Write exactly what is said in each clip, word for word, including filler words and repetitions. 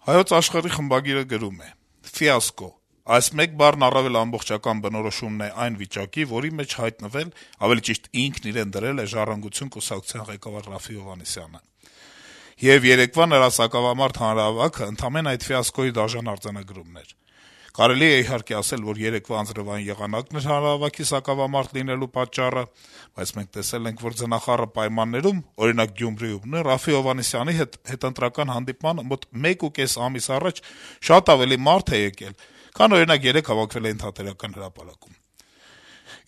Հայոց Աշխարհի խմբագիրը գրում է. - «Ֆիասկո: Այս մեկ բառն առավել ամբողջական բնորոշումն է այն վիճակի, որի մեջ հայտնվել, ավելի ճիշտ ինքն իրեն դրել է «Ժառանգություն» կուսակցության ղեկավար Րաֆֆի Հովհաննիսյանը: Եվ երեկվա նրա սակավամարդ հանրահավաքը ընդամենը այդ ֆիասկոյի դաժան արձանագրումն էր: Կարելի է, իհարկե, ասել, որ երեկվա անձրեւային եղանակն էր հանրահավաքի սակավամարդ լինելու պատճառը, բայց մենք տեսել ենք, որ ձնախառը պայմաններում, օրինակ Գյումրիում, նույն Րաֆֆի Հովհաննիսյանի հետ հետընտրական հանդիպմանը մոտ մեկուկես ամիս առաջ շատ ավելի մարդ է եկել, քան, օրինակ, երեկ հավաքվել էին Թատերական հրապարակում: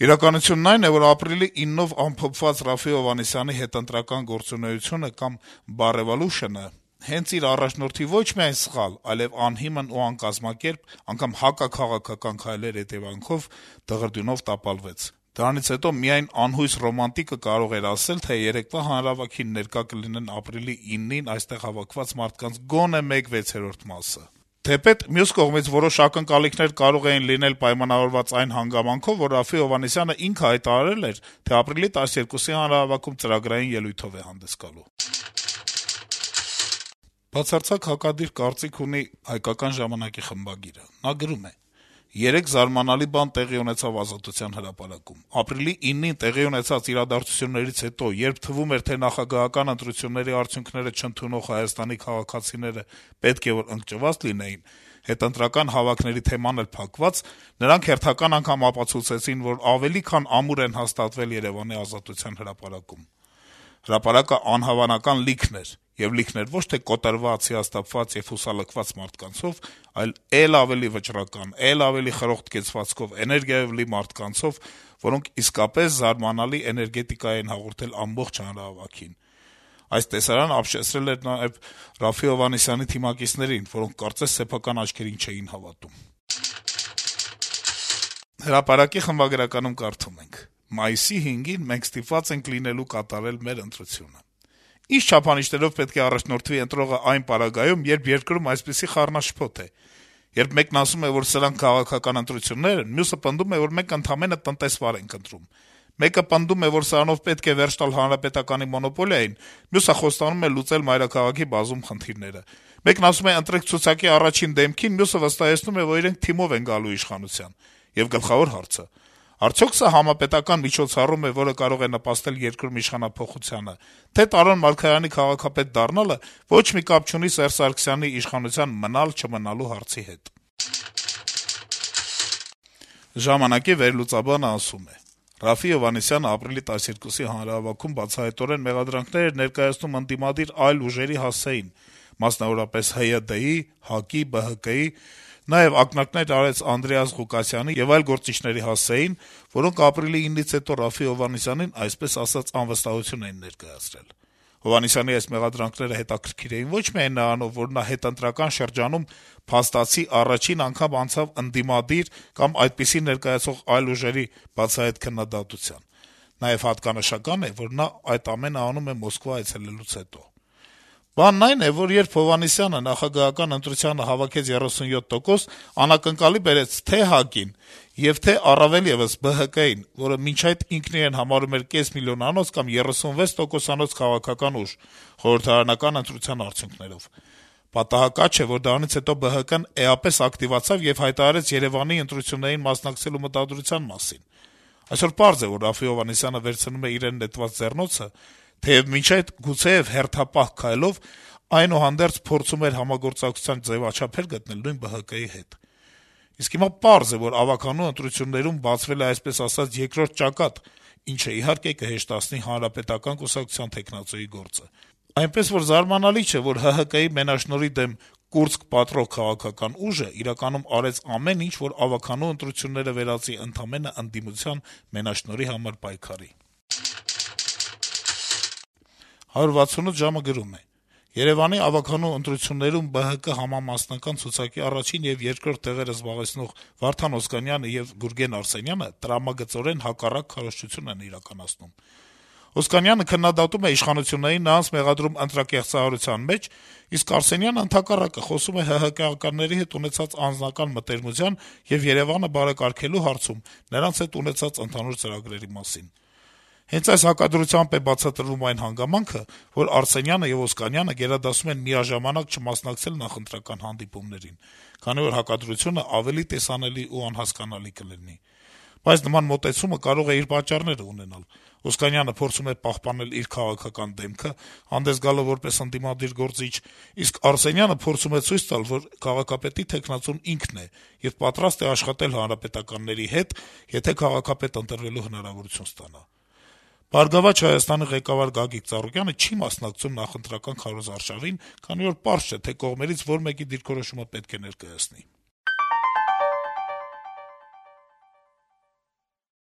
Իրականությունն այն է, որ ապրիլի իննով ամփոփված Րաֆֆի Հովհաննիսյանի հետընտրական գործունեությունը կամ բարեվալուշնը հենց իր առաջնորդի ոչ միայն սխալ, այլեւ անհիմն ու անկազմակերպ, անգամ հակաքաղաքական քայլերի հետեւանքով դղրդյունով տապալվեց: Դրանից հետո միայն անհույս ռոմանտիկը կարող էր ասել, թե երեկվա հանրահավաքին ներկա կլինեն ապրիլի ինին այստեղ հավաքված մարդկանց գոնե մեկ վեցերորդ մասը: Թեպետ, մյուս կողմից, որոշ ակնկալիքներ կարող էին լինել պայմանավորված այն հանգամանքով, որ Րաֆֆի Հովհաննիսյանը ինքը հայտարարել էր, թե ապրիլի տասներկուսի հանրահավաքում ծրագրային ելույթով է հանդես գալու»: Բացարձակ հակադիր կարծիք ունի «Հայկական ժամանակ»-ի խմբագիրը: Նա գրում է. - «Երեկ զարմանալի բան տեղի ունեցավ Ազատության հրապարակում: Ապրիլի ինին տեղի ունեցած իրադարձություններից հետո, երբ թվում էր, թե նախագահական ընտրությունների արդյունքները չընդունող Հայաստանի քաղաքացիները պետք է որ ընկճված լինեին, հետընտրական հավաքների թեման էլ փակված, նրանք հերթական անգամ ապացուցեցին, որ ավելի քան ամուր են հաստատվել Երեւանի Ազատության հրապարակում: Հրապարակը անհավանական լիքն էր, եւ լիքն էր ոչ թե կոտրված, հիասթափված եւ հուսալքված մարդկանցով, այլ էլ ավելի վճռական, էլ ավելի խրոխտ կեցվածքով, էներգիայով լի մարդկանցով, որոնք իսկապես զարմանալի էներգետիկա էին հաղորդել ամբողջ հանրահավաքին: Այս տեսարանը ապշեցրել էր նաեւ Րաֆֆի Հովհաննիսյանի թիմակիցներին, որոնք կարծես սեփական աչքերին չէին հավատում»: «Հրապարակ»-ի խմբագրականում կարդում ենք. - «Մայիսի հինգին մենք ստիպված ենք լինելու կատարել մեր ընտրությունը: Ինչ չափանիշներով պետք է առաջնորդվի ընտրողը այն պարագայում, երբ երկրում այսպիսի խառնաշփոթ է: Երբ մեկն ասում է, որ սրանք քաղաքական ընտրություններ են, մյուսը պնդում է, որ մենք ընդամենը տնտեսվար ենք ընտրում: Մեկը պնդում է, որ սրանով պետք է վերջ տալ հանրապետականի մոնոպոլիային, մյուսը խոստանում է լուծել մայրաքաղաքի բազում խնդիրները: Մեկն ասում է ընտրեք ցուցակի առաջին դեմքին, մյուսը վստահեցնում է, որ իրենք թիմով են գալու իշխանության: Եվ գլխավոր հարցը` արդյո՞ք սա համապետական միջոցառում է, որը կարող է նպաստել երկրում իշխանափոխությանը, թե Տարոն Մարգարյանի քաղաքապետ դառնալը ոչ մի կապ չունի Սերժ Սարգսյանի իշխանության մնալ-չմնալու հարցի հետ»: «Ժամանակ»-ի վերլուծաբանը ասում է. - «Րաֆֆի Հովհաննիսյանը ապրիլի տասներկուսի հանրահավաքում բացահայտորեն մեղադրանքներ էր ներկայացնում ընդդիմադիր այլ ուժերի հասցեին, մասնավորապես ՀՅԴ-ի, ՀԱԿ-ի, ԲՀԿ-ի, նաեւ ակնարկներ արեց Անդրեաս Ղուկասյանի եւ այլ գործիչների հասցեին, որոնք ապրիլի ինից հետո Րաֆֆի Հովհաննիսյանին, այսպես ասած, անվստահություն էին ներկայացրել: Հովհաննիսյանի այս մեղադրանքները հետաքրքիր էին ոչ միայն նրանով, որ նա հետընտրական շրջանում փաստացի առաջին անգամ անցավ ընդդիմադիր կամ այդպիսին ներկայացող այլ ուժերի բացահայտ քննադատության: Նաեւ հատկանշական է, որ նա այդ ամենը անում է Մոսկվա այցելելուց հետո: Բանն այն է, որ երբ Հովհաննիսյանը նախագահական ընտրությանը հավաքեց երեսունյոթ տոկոս, անակնկալի բերեց թե ՀԱԿ-ին եւ թե առավել եւս ԲՀԿ-ին, որը մինչ այդ ինքն իրեն համարում էր կես միլիոնանոց կամ երեսունվեց տոկոսանոց քաղաքական ուժ` խորհրդարանական ընտրության արդյունքներով: Պատահական չէ, որ դրանից հետո ԲՀԿ-ն էապես ակտիվացավ եւ հայտարարեց Երեւանի ընտրություններին մասնակցելու մտադրության մասին: Այսօր պարզ է, որ Րաֆֆի Հովհաննիսյանը վերցնում է իրեն նետված ձեռնոցը, թեեւ մինչ այդ գուցեեւ հերթապահ քայլով, այնուհանդերձ փորձում էր համագործակցության ձեւաչափեր գտնել նույն ԲՀԿ-ի հետ: Իսկ հիմա պարզ է, որ ավագանու ընտրություններում բացվել է, այսպես ասած, երկրորդ ճակատ, ինչը, իհարկե, կհեշտացնի Հանրապետական կուսակցության թեկնածուի գործը: Այնպես որ զարմանալի չէ, որ ՀՀԿ-ի մենաշնորհի դեմ կուրծք պատռող քաղաքական ուժը իրականում արեց ամեն ինչ, որ ավագանու ընտրությունները վերածի ընդամենը ընդդիմության մենաշնորհի համար պայքարի»: «հարյուր վաթսունութ ժամ»-ը գրում է. - «Երեւանի ավագանու ընտրություններում ԲՀԿ համամասնական ցուցակի առաջին եւ երկրորդ տեղերը զբաղեցնող Վարդան Օսկանյանը եւ Գուրգեն Արսենյանը տրամագծորեն հակառակ քարոզչություն են իրականացնում: Օսկանյանը քննադատում է իշխանություններին նրանց մեղադրում ընտրակեղծարարության մեջ, իսկ Արսենյանը, ընդհակառակը, խոսում է ՀՀԿ-ականների հետ ունեցած անձնական մտերմության եւ Երեւանը բարեկարգելու հարցում նրանց հետ ունեցած ընդհանուր ծրագրերի մասին: Հենց այս հակադրությամբ է բացատրվում այն հանգամանքը, որ Արսենյանը եւ Օսկանյանը գերադասում են միաժամանակ չմասնակցել նախընտրական հանդիպումներին, քանի որ հակադրությունը ավելի տեսանելի ու անհասկանալի կլինի: Բայց նման մոտեցումը կարող է իր պատճառները ունենալ: Օսկանյանը փորձում է պահպանել իր քաղաքական դեմքը, հանդես գալով որպես ընդդիմադիր գործիչ, իսկ Արսենյանը փորձում է ցույց տալ, որ քաղաքապետի թեկնածուն ինքն է եւ պատրաստ է աշխատել հանրապետականների հետ, եթե քաղաքապետ ընտրվելու հնարավորություն ստանա: «Բարգավաճ Հայաստան»-ի ղեկավար Գագիկ Ծառուկյանը չի մասնակցում նախընտրական քարոզարշավին, քանի որ պարզ չէ, թե կողմերից որ մեկի դիրքորոշումը պետք է ներկայացնի: